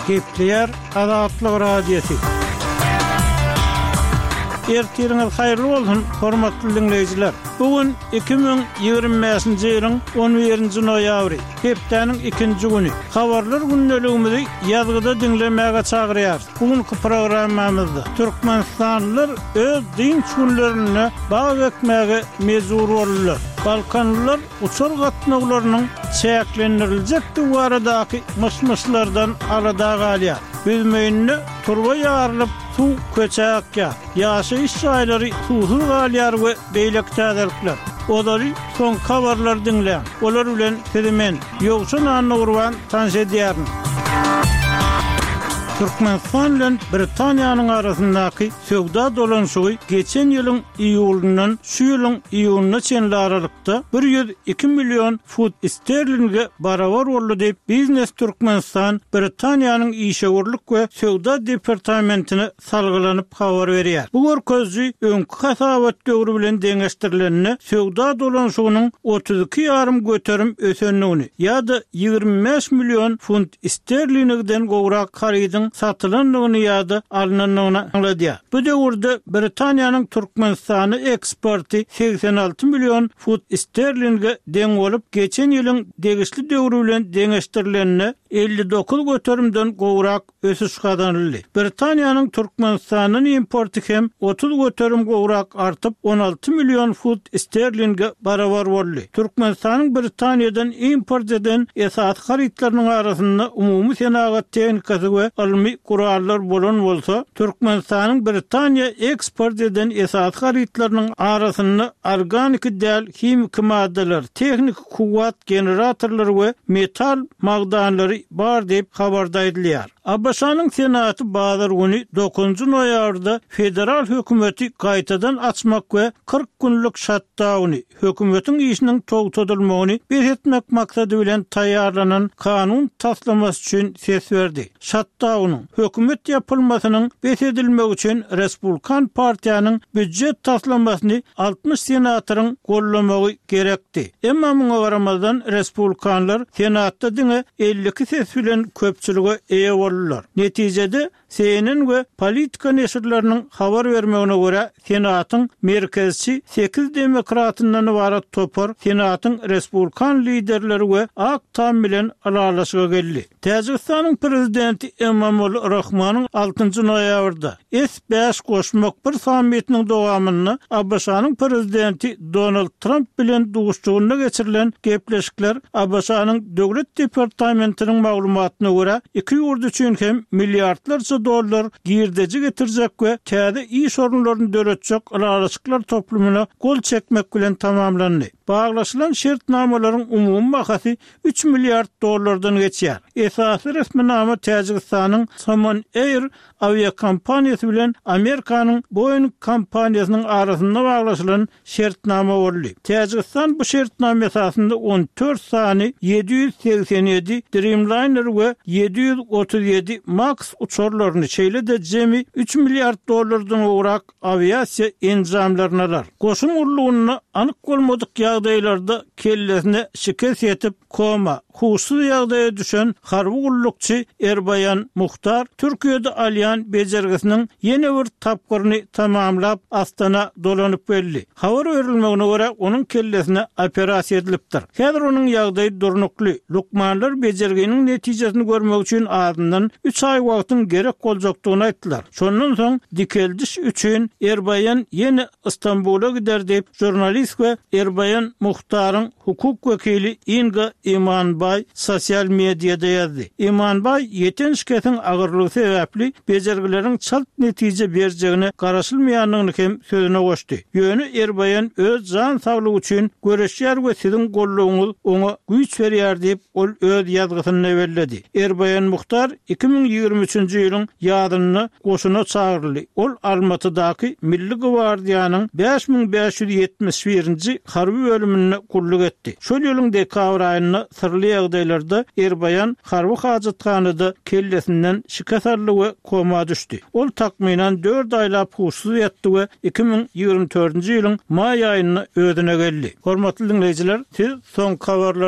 Gepleýär Azatlyk Radiosy. Ertiriňiz haýyrly bolsun, hormatly diňleýjiler! Bu gün 2025-nji ýylyň 11-nji noýabry, hepdäniň ikinji güni. Habarlar gündeligimizi ýazgyda diňlemäge çagyrýarys. Bu günki programmamyzda türkmenistanlylar öz dynç günlerinde bag ekmäge mejbur boldular. Balkanlylar uçar gatnawlarynyň çäklendiriljekdigi baradaky myş-myşlardan alada galýar. Büzmeýinde turba ýarylyp, suw köçä akýar. Ýaşaýyş jaýlary suwsuz galýar we beýleki täzelikler. Ozaly soňky habarlary diňläň. Olar bilen sizi men, Ýowşan Annagurban tanyş edýärin. Türkmenistan bilen Britaniýanyň arasyndaky söwda dolanyşygy geçen ýylyň iýulyndan şu ýylyň iýunyna çenli aralykda 102 million funt sterlinge barabar boldy diýip, Biznes Türkmenistan Britaniýanyň işewürlik we söwda departamentine salgylanyp habar berýär. Bu görkeziji öňki hasabat döwri bilen deňeşdirilende söwda dolanyşygynyň 32 ýarym göterim ösendigini ýa-da 25 million funt sterlingden gowrak harydyň satylandygyny ýa-da alnandygyny aňladýar. Bu döwürde Britaniýanyň Türkmenistana eksporty 86 million funt sterlinge deň bolup, geçen ýylyň degişli döwri bilen deňeşdirilende 59 göterimden gowrak ösüş gazanyldy. Britaniýanyň Türkmenistandan importy hem 30% gowrak artyp, 16 million funt sterlinge barabar boldy. Türkmenistanyň Britaniýadan import eden esasy harytlarynyň arasynda umumy senagat tehnikasy we ylmy gurallar bolan bolsa, Türkmenistanyň Britaniýa eksport eden esasy harytlarynyň arasynda organiki däl himiki maddalar, tehniki kuwwat generatorlary we metal magdanlary bar diýip, habarda aýdylýar. ABŞ-nyň Senaty bazar güni, dokuzynjy noýabrda federal hökümeti gaýtadan açmak we 40 günlük şatdauny, hökümetiň işiniň togtadylmagyny bes etmek maksady bilen taýýarlanan kanun taslamasy üçin ses berdi. Şatdaunyň, hökümet ýapylmasynyň bes edilmegi üçin Respublikan partiýanyň býujet taslamasyny 60 senatoryň goldamagy gerekdi. Emma muňa garamazdan, respublikanlar Senatda diňe 52 ses bilen köpçülige eýe boldular. Netijede, CNN we Politico neşirleriniň habar bermegine görä, Senatyň merkezçi sekiz demokratyndan ybarat topar Senatyň respublikan liderleri we Ak Tam bilen ylalaşyga geldi. Täjigistanyň Prezidenti Emomali Rahmonyň altynjy noýabrda S bäş goşmak bir sammitiniň dowamynda ABŞ-nyň Prezidenti Donald Tramp bilen duşuşygynda geçirilen gepleşikler ABŞ-nyň Döwlet departamentiniň maglumatyna görä, iki ýurt üçin hem milliardlarça dollar girdeji getirjek we täze iş orunlaryny döretjek ylalaşyklar toplumyna gol çekmek bilen tamamlandy. Baglaşylan şertnamalaryň umumy bahasy üç milliard dollardan geçýär. Esasy resminama Täjigistanyň Somon Air awiakompaniýasy bilen Amerikanyň Boeing kompaniýasynyň arasynda baglaşylan şertnama boldy. Täjigistan bu şertnama esasynda 14 sany 787 Dreamliner we 737 Max uçarlaryny, şeýle-de jemi üç milliard dollardan gowrak awiasiýa enjamlaryny alar. Goşun gullugynda anyk bolmadyk ýagdaýlarda kellesine şikes ýetip, koma, huşsuz ýagdaýa düşen harby gullukçy Erbaýan Muhtar Türkiýede alýan bejergisiniň ýene bir tapgyryny tamamlap, Astana dolanyp geldi. Habar berilmegine görä, onuň kellesine operasiýa edilipdir. Häzir onuň ýagdaýy durnukly. Lukmanlar bejerginiň netijesini görmek üçin azyndan üç aý wagtyň gerek boljakdygyny aýtdylar. Şondan soň dikeldiş üçin Erbaýan ýene Stambula gider diýip, žurnalist we Erbaýan Muhtaryň hukuk wekili Inga Imanbaý sosial mediada ýazdy. Imanbaý ýeten şikesiň agyrlygy sebäpli bejergileriň çalt netije berjegine garaşylmaýandygyny hem sözüne goşdy. Ýöne Erbaýan öz jan saglygy üçin göreşýär we siziň goldawyňyz oňa güýç berýär diýip, ol öz ýazgysynda belledi. Erbaýan Muhtar 2023-nji ýylyň ýazynda goşuna çagyryldy. Ol Almatydaky Milli gwardiýanyň 5571-nji harby bölüminde gulluk etdi. Şol ýylyň dekabr aýynda syrly ýagdaýlarda Erbaýan harby hajathanada kellesinden şikes aldy we koma düşdi. Ol takmynan dört aýlap huşsuz ýatdy we 2024-nji ýylyň maý aýynda özüne geldi. Hormatly diňleýjiler, siz soňky habarlary.